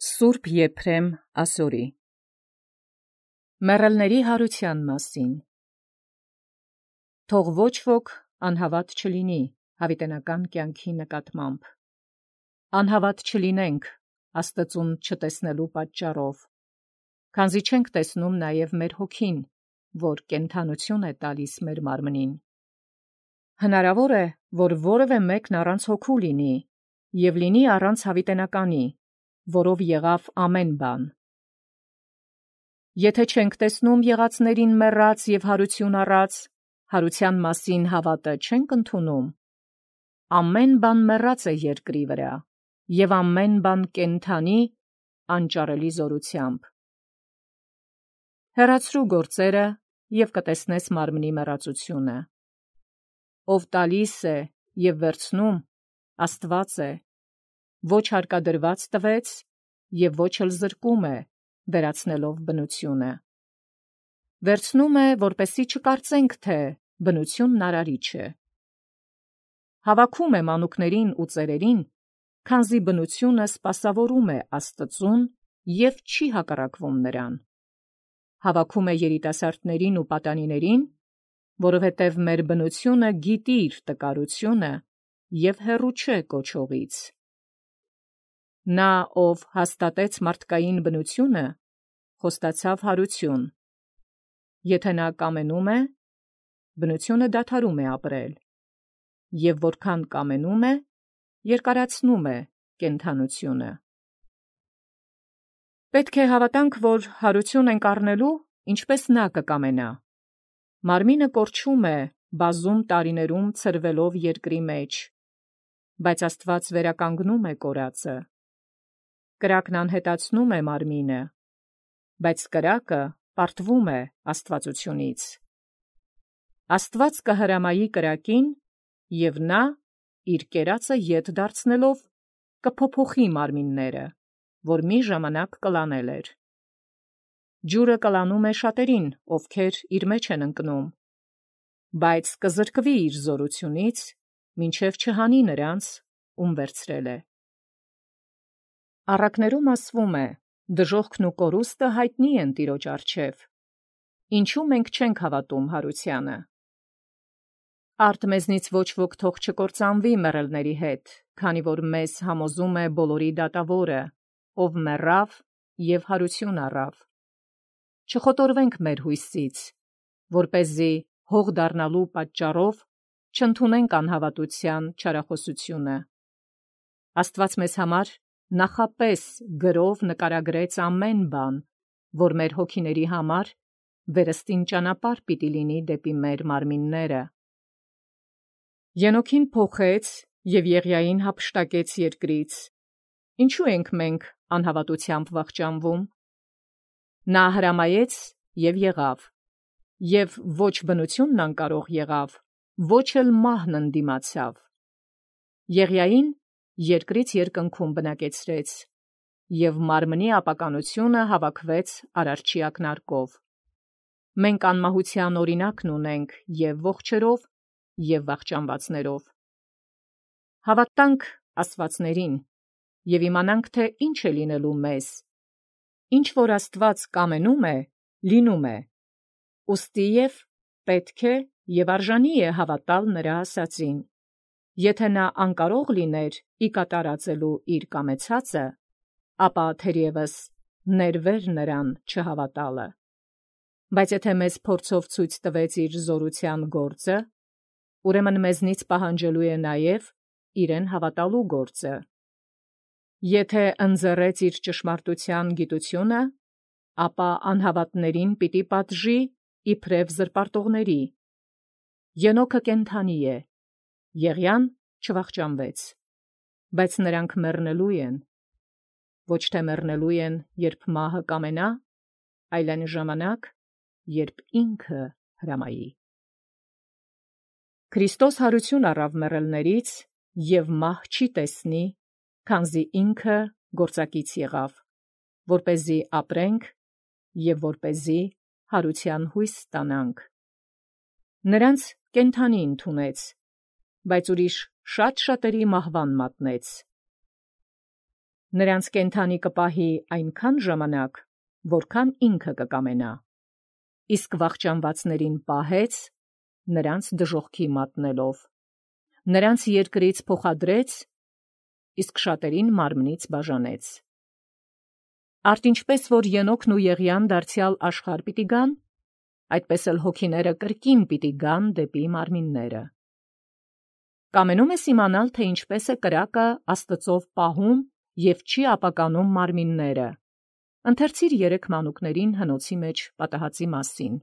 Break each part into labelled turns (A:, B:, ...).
A: Սուրբ Եփրեմ ասորի մեռելների հարության մասին։ Թող ոչ ոք անհավատ չլինի հավիտենական կյանքի նկատմամբ։ Անհավատ չլինենք Աստծուն չտեսնելու պատճառով, քանզի չենք տեսնում նաև մեր հոգին, որ կենդանություն է տալիս մեր մարմնին։ Հնարավոր է, որ որևէ մեկն առանց հոգու լինի և լինի առանց հավիտենականի, որով եղավ ամեն բան։ Եթե չենք տեսնում եղածներին մեռած և հարություն առած, հարության մասին հավատը չենք ընդունում, ամեն բան մեռած է երկրի վրա, և ամեն բան կենդանի անճարելի զորությամբ։ Հեռացրու գործերը և կտեսնես մարմնի մեռածությունը։ Ով տալիս է և վերցնում, Աստված է, ոչ հարկադրված տվեց և ոչ էլ զրկում է, վերացնելով բնությունը։ Վերցնում է, որպեսզի չկարծենք, թե բնությունն արարիչ է։ Հավաքում է մանուկներին ու ծերերին, քանզի բնությունը սպասավորում է Աստծուն և չի հակառակվում նրան։ Հավաքում է երիտասարդներին ու պատանիներին, որովհետև մեր բնությունը գիտի իր տկարությունը և հեռու չէ կոչողից։ Նա, ով հաստատեց մարդկային բնությունը, խոստացավ հարություն։ Եթե նա կամենում է, բնությունը դադարում է ապրել, և որքան կամենում է, երկարացնում է կենդանությունը։ Պետք է հավատանք, որ հարություն ենք առնելու, ինչպես նա կկամենա։ Մարմինը կորչում է բազում տարիներում ցրվելով երկրի մեջ, բայց Աստված վերականգնում է կորածը։ Կրակն անհետացնում է մարմինը, բայց կրակը պարտվում է աստվածությունից։ Աստված կհրամայի կրակին, և նա, իր կերածը ետ դարձնելով, կփոփոխի մարմինները, որ մի ժամանակ կլանել էր։ Ջուրը կլանում է շատերին, ովքեր իր մեջ են ընկնում, բայց կզրկվի իր զորությունից, մինչև չհանի նրանց, ում վերցրել է։ Առակներում ասվում է. դժոխքն ու կորուստը հայտնի են Տիրոջ առջև, ինչու մենք չենք հավատում հարությանը։ Արդ մեզնից ոչ ոք թող չկործանվի մեռելների հետ, քանի որ մեզ համոզում է բոլորի դատավորը, ով մեռավ և հարություն առավ։ Չխոտորվենք մեր հույսից, որպեսզի հող դառնալու պատճառով չընդունենք անհավատության չարախոսությունը։ Աստված մեզ համար նախապես գրով նկարագրեց ամեն բան, որ մեր հոգիների համար վերստին ճանապարհ պիտի լինի դեպի մեր մարմինները։ Ենոքին փոխեց և Եղիային հափշտակեց երկրից։ Ինչու ենք մենք անհավատությամբ վախճանվում։ Նա հրամայեց և եղավ, և ոչ բնությունն անկարող եղավ, ոչ էլ մահն ընդդիմացավ։ Եղիային երկրից երկնքում բնակեցրեց, և մարմնի ապականությունը հավաքվեց Արարչի ակնարկով։ Մենք անմահության օրինակն ունենք և ողջերով, և վախճանվածներով։ Հավատանք աստվածներին և իմանանք, թե ինչ է լինելու մեզ։ Ինչ որ Աստված կամենում է, լինում է։ Ուստի և պետք է և արժանի է հավատալ նրա ասածին։ Եթե նա անկարող լիներ ի կատարածելու իր կամեցածը, ապա թերևս ներվեր նրան չհավատալը։ Բայց եթե մեզ փորձով ցույց տվեց իր զորության գործը, ուրեմն մեզնից պահանջելու է նաև իրեն հավատալու գործը։ Եթե ընձեռեց իր ճշմարտության գիտությունը, ապա անհավատներին պիտի պատժի իբրև զրպարտողների։ Ենոքը կենդանի է, Եղիան չվախճանվեց, բայց նրանք մեռնելու են, ոչ թե մեռնելու են, երբ մահը կամենա, այլ այն ժամանակ, երբ ինքը հրամայի։ Քրիստոս հարություն առավ մեռելներից և մահ չի տեսնի, քանզի ինքը գործակից եղավ, որպեսզի ապրենք և որպեսզի հարության հույս ստանանք։ Նրանց կենդանի ընդունեց, բայց ուրիշ շատ շատերի մահվան մատնեց։ Նրանց կենթանի կպահի այնքան ժամանակ, որքան ինքը կկամենա, իսկ վախճանվածներին պահեց, նրանց դժոխքի մատնելով, նրանց երկրից փոխադրեց, իսկ շատերին մարմնից բաժանեց։ Արդ ինչպես որ Ենոքն ու Եղիան դարձյալ աշխարհ պիտի գան, այդպես էլ հոգիները կրկին պիտի գան դեպի մարմինները։ Կամենում ես իմանալ, թե ինչպես է կրակը Աստծով պահում և չի ապականում մարմինները։ Ընթերցիր 3 մանուկներին հնոցի մեջ պատահածի մասին։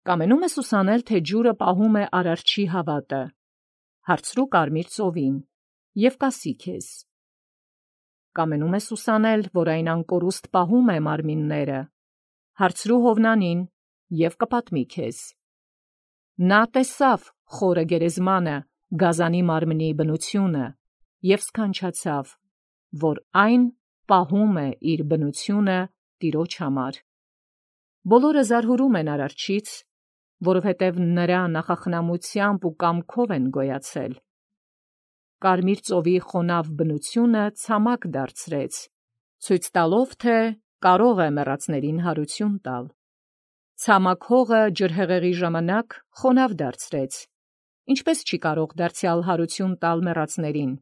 A: Կամենում ես ուսանել, թե ջուրը պահում է արարչի հավատը, հարցրու կարմիր ծովին և կասի քեզ։ Կամենում ես ուսանել, որ այն անկորուստ պահում է մարմինները, հարցրու Հովնանին և կպատմի քեզ։ Նա տեսավ խորը գերեզմանը, գազանի մարմնի բնությունը և սքանչացավ, որ այն պահում է իր բնությունը Տիրոջ համար։ Բոլորը զարհուրում են արարչից, որովհետև նրա նախախնամությամբ ու կամքով են գոյացել։ Կարմիր ծովի խոնավ բնությունը ցամաք դարձրեց, ցույց տալով, թե կարող է մեռածներին հարություն տալ։ Ցամաք հողը ջրհեղեղի ժամանակ խոնավ դարձրեց, ինչպես չի կարող դարձյալ հարություն տալ մեռածներին։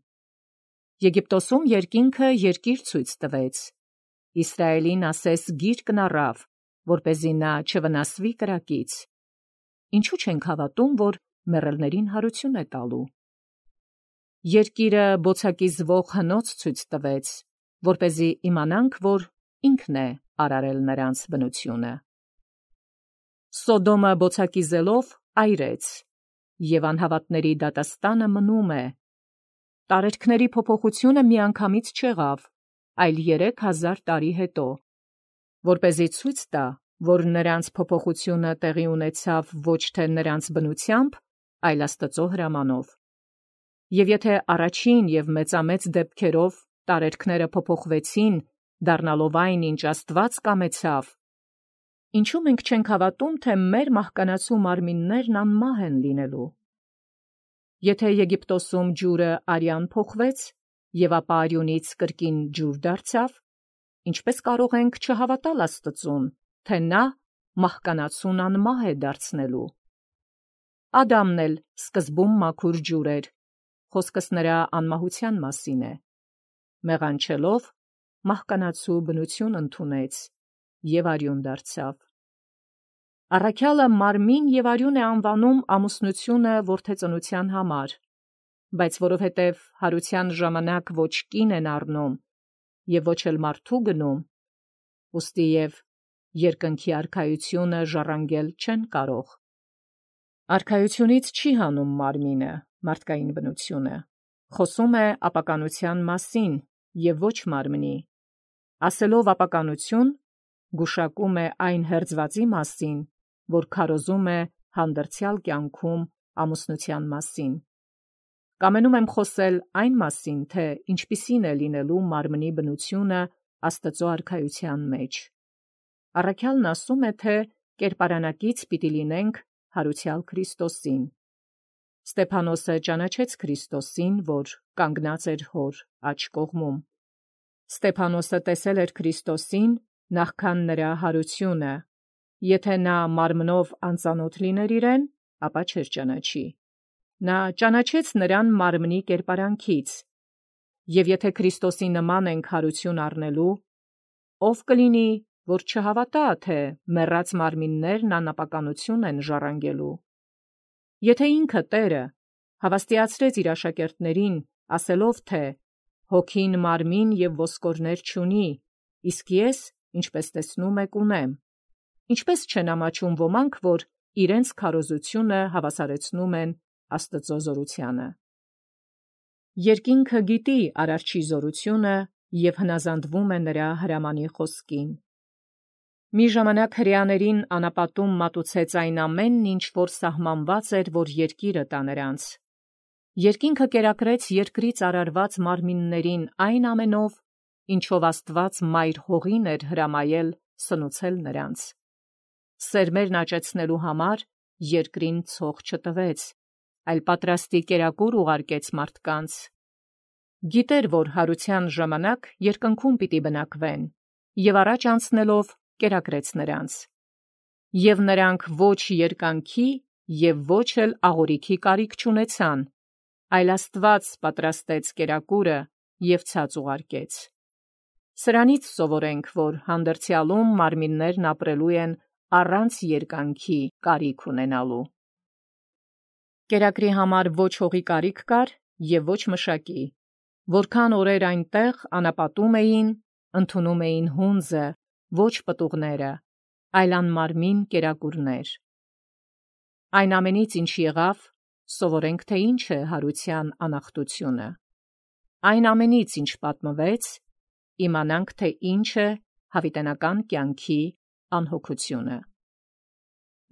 A: Եգիպտոսում երկինքը երկիր ցույց տվեց, Իսրայելին ասես գիրկն առավ, որպեսզի նա չվնասվի կրակից։ Ինչու չենք հավատում, որ մեռելներին հարություն է տալու։ Երկիրը բոցակի զվող հնոց ցույց տվեց, որպեսզի իմանանք, որ ինքն է արարել նրանց բնությունը։ Սոդոմը բոցակի զելով այրեց, և անհավատների դատաստանը մնում է։ Տարերքների փոփոխությունը միանգամից չեղավ, այլ 3000 տարի հետո, որպեսզի ցույց տա, որ նրանց փոփոխությունը տեղի ունեցավ ոչ թե նրանց բնությամբ, այլ Աստծո հրամանով։ Եվ եթե առաջին և մեծամեծ դեպքերով տարերքները փոփոխվեցին, դառնալով այն, ինչ Աստված կամեցավ, ինչու մենք չենք հավատում, թե մեր մահկանացու մարմիններն անմահ են լինելու։ Եթե Եգիպտոսում ջուրը արյան փոխվեց, և ապա արյունից կրկին ջուր դարձավ, ինչպես կարող ենք չհավատալ Աստծուն, թե նա մահկանացուն անմահ է դարձնելու։ Ադամն էլ սկզբում մաքուր ջուր էր, խոսքս նրա անմահության մասին է։ Մեղանչելով, մահկանացու բնություն ընդունեց և արյուն դարձավ։ Առաքյալը մարմին և արյուն է անվանում ամուսնությունը որդեծնության համար, բայց որովհետև հարության ժամանակ ոչ կին են առնում և ոչ էլ մարդու գնում, ուստի և երկնքի արքայությունը ժառանգել չեն կարող։ Արքայությունից չի հանում մարմինը, մարդկային բնությունը, խոսում է ապականության մասին և ոչ մարմնի, ասելով ապականություն, գուշակում է այն հերձվածի մասին, որ քարոզում է հանդերձյալ կյանքում ամուսնության մասին։ Կամենում եմ խոսել այն մասին, թե ինչպիսին է լինելու մարմնի բնությունը Աստծո արքայության մեջ։ Առաքյալն ասում է, թե կերպարանակից պիտի լինենք հարուցյալ Քրիստոսին։ Ստեփանոսը ճանաչեց Քրիստոսին, որ կանգնած էր հոր աջ կողմում։ Ստեփանոսը տեսել էր Քրիստոսին նախքան նրա հարությունը, եթե նա մարմնով անծանոթ լիներ իրեն, ապա չէր ճանաչի։ Նա ճանաչեց նրան մարմնի կերպարանքից, և եթե Քրիստոսի նման ենք հարություն առնելու, ով կլինի, որ չհավատա, թե մեռած մարմիններն անապականություն են ժառանգելու։ Եթե ինքը Տերը հավաստիացրեց իր աշակերտներին, ասելով, թե «Հոգին մարմին և ոսկորներ չունի, իսկ ես, ինչպես տեսնում եք, ունեմ», ինչպես չեն ամաչում ոմանք, որ իրենց քարոզությունը հավասարեցնում են Աստծո զորությանը։ Երկինքը գիտի արարչի զորությունը և հնազանդվում է նրա հրամանի խոսքին։ Մի ժամանակ հրեաներին անապատում մատուցեց այն ամենն, ինչ որ սահմանված էր, որ երկիրը տա նրանց։ Երկինքը կերակրեց երկրից արարված մարմիններին այն ամենով, ինչով Աստված մայր հողին էր հրամայել սնուցել նրանց։ Սերմերն աճեցնելու համար երկրին ցող չտվեց, այլ պատրաստի կերակուր ուղարկեց մարդկանց։ Գիտեր, որ հարության ժամանակ երկնքում պիտի բնակվեն, եւ առաջ անցնելով կերակրեց նրանց։ Եվ նրանք ոչ երկանքի եւ ոչ էլ աղորիքի կարիք չունեցան, այլ Աստված պատրաստեց կերակուրը եւ ցած ուղարկեց։ Սրանից սովորենք, որ հանդերձյալում մարմիններն ապրելու են առանց երկանքի կարիք ունենալու։ Կերակրի համար ոչ հողի կարիք կար եւ ոչ մշակի, որքան օրեր այնտեղ անապատում էին, ընդունում էին հունձը, ոչ պտուղները, այլ անմարմին կերակուրներ։ Այն ամենից, ինչ եղավ, սովորենք, թե ինչ է հարության անախտությունը։ Այն ամենից, ինչ պատմվեց, իմանանք, թե ինչ է հավիտենական կյանքի անհոգությունը։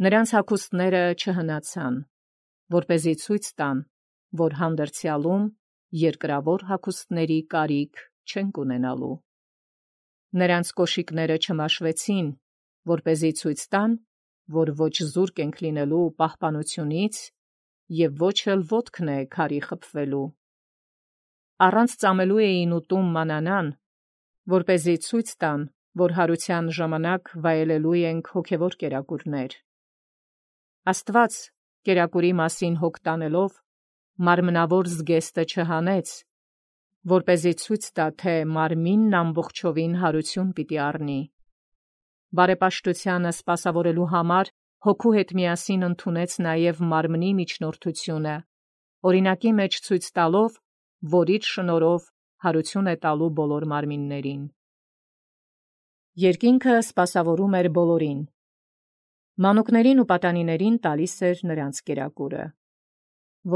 A: Նրանց հագուստները չհնացան, որպեսզի ցույց տան, որ հանդերձյալում երկրավոր հագուստների կարիք չենք ունենալու։ Նրանց կոշիկները չմաշվեցին, որպեսզի ցույց տան, որ ոչ զուրկ ենք լինելու պահպանությունից եւ ոչ էլ ոտքն է քարի խփվելու։ Առանց ծամելու էին ուտում մանանան, որպեսզի ցույց տան, որ հարության ժամանակ վայելելու ենք հոգևոր կերակուրներ։ Աստված կերակուրի մասին հոգ տանելով մարմնավոր զգեստը չհանեց, որպեսզի ցույց տա, թե մարմինն ամբողջովին հարություն պիտի առնի։ Բարեպաշտությանը սպասավորելու համար հոգու հետ միասին ընդունեց նաև մարմնի միջնորդությունը, օրինակի մեջ ցույց տալով, որ իր շնորհով հարություն է տալու բոլոր մարմիններին։ Երկինքը սպասավորում էր բոլորին։ Մանուկներին ու պատանիներին տալիս էր նրանց կերակուրը,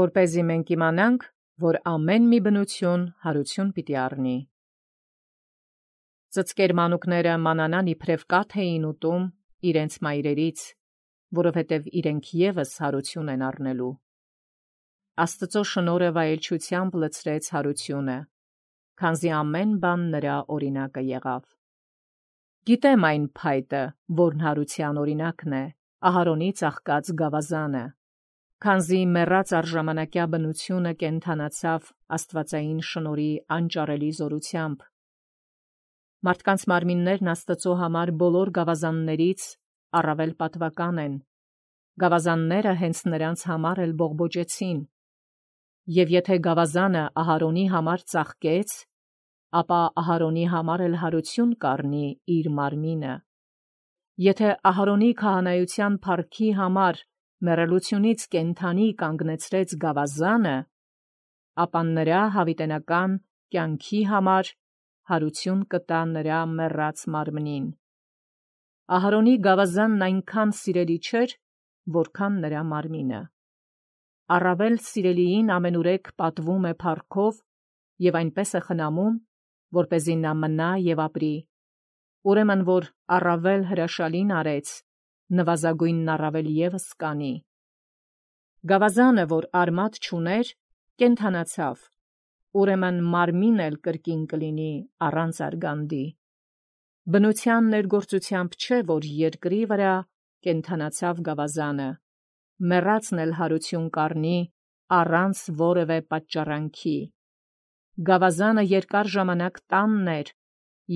A: որպեսզի մենք իմանանք, որ ամեն մի բնություն հարություն պիտի առնի։ Ծծկեր մանուկները մանանան իբրև կաթ էին ուտում իրենց մայրերից, որովհետև իրենք ևս հարություն են առնելու։ Աստծո շնորհը վայելչությամբ լցրեց հարությունը, քանզի ամեն բան նրա օրինակը եղավ։ Գիտեմ այն փայտը, որն հարության օրինակն է, Ահարոնի ծաղկած գավազանը, քանզի մեռած առժամանակյա բնությունը կենդանացավ աստվածային շնորհի անճարելի զորությամբ։ Մարդկանց մարմիններն Աստծո համար բոլոր գավազաններից առավել պատվական են։ Գավազանները հենց նրանց համար էլ բողբոջեցին։ Եվ եթե գավազանը Ահարոնի համար ծաղկեց, ապա Ահարոնի համար էլ հարություն կառնի իր մարմինը։ Եթե Ահարոնի քահանայության փառքի համար մեռելությունից կենդանի կանգնեցրեց գավազանը, ապա նրա հավիտենական կյանքի համար հարություն կտա նրա մեռած մարմնին։ Ահարոնի գավազանն այնքան սիրելի չէր, որքան նրա մարմինը։ Առավել սիրելիին ամենուրեք պատվում է փառքով եւ այնպես է խնամում, որպեսզի նա մնա եւ ապրի։ Ուրեմն որ առավել հրաշալին արեց, նվազագույնն առավել ևս կանի։ Գավազանը, որ արմատ չուներ, կենդանացավ, ուրեմն մարմին էլ կրկին կլինի առանց արգանդի։ Բնության ներգործությամբ չէ, որ երկրի վրա կենդանացավ գավազանը, մեռածն էլ հարություն կառնի առանց որևէ պատճառանքի։ Գավազանը երկար ժամանակ տանն էր,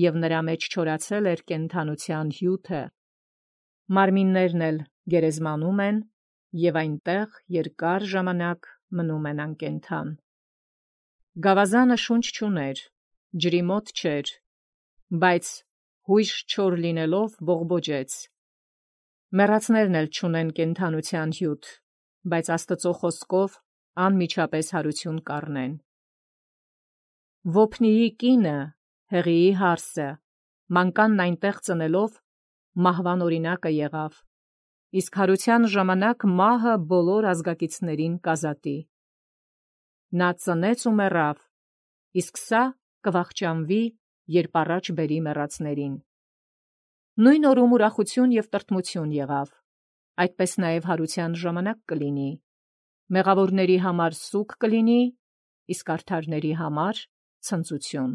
A: եւ նրա մեջ չորացել էր կենդանության հյութը։ Մարմիններն էլ գերեզմանում են եւ այնտեղ երկար ժամանակ մնում են անկենդան։ Գավազանը շունչ չուներ, ջրի մոտ չէր, բայց հույժ չոր լինելով բողբոջեց։ Մեռածներն էլ չունեն կենդանության հյութ, բայց Աստծո խոսքով անմիջապես հարություն կառնեն։ Ոփնիի կինը, Հեղիի հարսը, մանկանն այնտեղ ծնելով մահվան օրինակը եղավ, իսկ հարության ժամանակ մահը բոլոր ազգակիցներին կազատի։ Նա ծնեց ու մեռավ, իսկ սա կվախճանվի, երբ առաջ բերի մեռածներին։ Նույն օրում ուրախություն եւ տրտմություն եղավ, այդպես նաեւ հարության ժամանակ կլինի։ Մեղավորների համար սուգ կլինի, իսկ արդարների համար ցնծություն։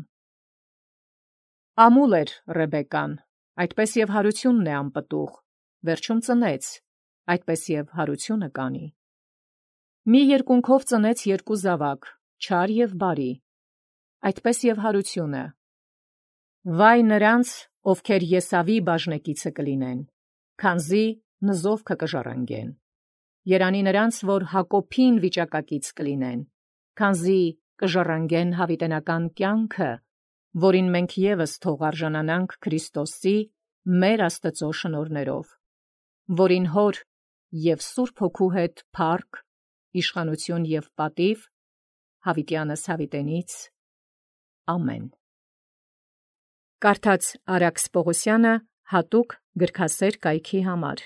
A: Ամուլ էր Ռեբեկան, այդպես եւ հարությունն է անպտուղ, վերջում ծնեց, այդպես եւ հարությունը կանի։ Մի երկունքով ծնեց երկու զավակ, չար եւ բարի։ այդպես եւ հարությունը։ Վայ նրանց, ովքեր Եսավի բաժնեկիցը կլինեն, քանզի նզովքը կժառանգեն։ Երանի նրանց, որ Հակոբին վիճակակից կլինեն, քանզի կժառանգեն հավիտենական կյանքը, որին մենք ևս թող արժանանանք Քրիստոսի մեր Աստծո շնորհներով, որին հոր եւ Սուրբ Հոգու հետ փառք, իշխանություն եւ պատիվ հավիտյանս հավիտենից։ Ամեն։ Կարդաց Արաքս Պողոսյանը հատուկ գրքասեր կայքի համար։